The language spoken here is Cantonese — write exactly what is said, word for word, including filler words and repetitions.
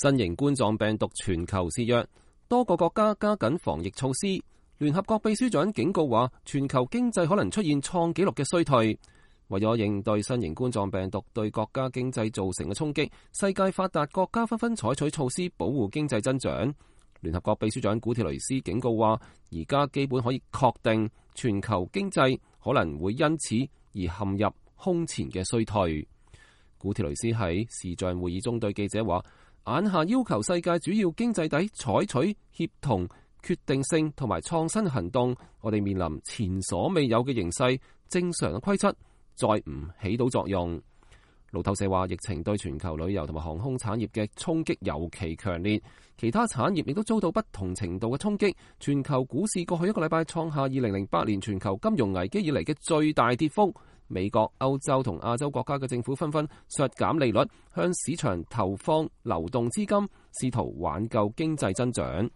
新型冠狀病毒全球肆虐，多個國家加緊防疫措施。聯合國秘書長警告話，全球經濟可能出現創紀錄嘅衰退。為咗應對新型冠狀病毒對國家經濟造成嘅衝擊，世界發達國家紛紛採取措施保護經濟增長。聯合國秘書長古鐵雷斯警告話，而家基本可以確定全球經濟可能會因此而陷入空前嘅衰退。古鐵雷斯喺視像會議中對記者話，眼下要求世界主要經濟體採取協同、決定性同埋創新行動，我哋面臨前所未有嘅形勢，正常嘅規則再唔起到作用。路透社話，疫情對全球旅遊同埋航空產業嘅衝擊尤其強烈，其他產業亦都遭到不同程度嘅衝擊。全球股市過去一個禮拜創下二零零八年全球金融危機以嚟嘅最大跌幅。美國、歐洲同亞洲國家嘅政府紛紛削減利率，向市場投放流動資金，試圖挽救經濟增長。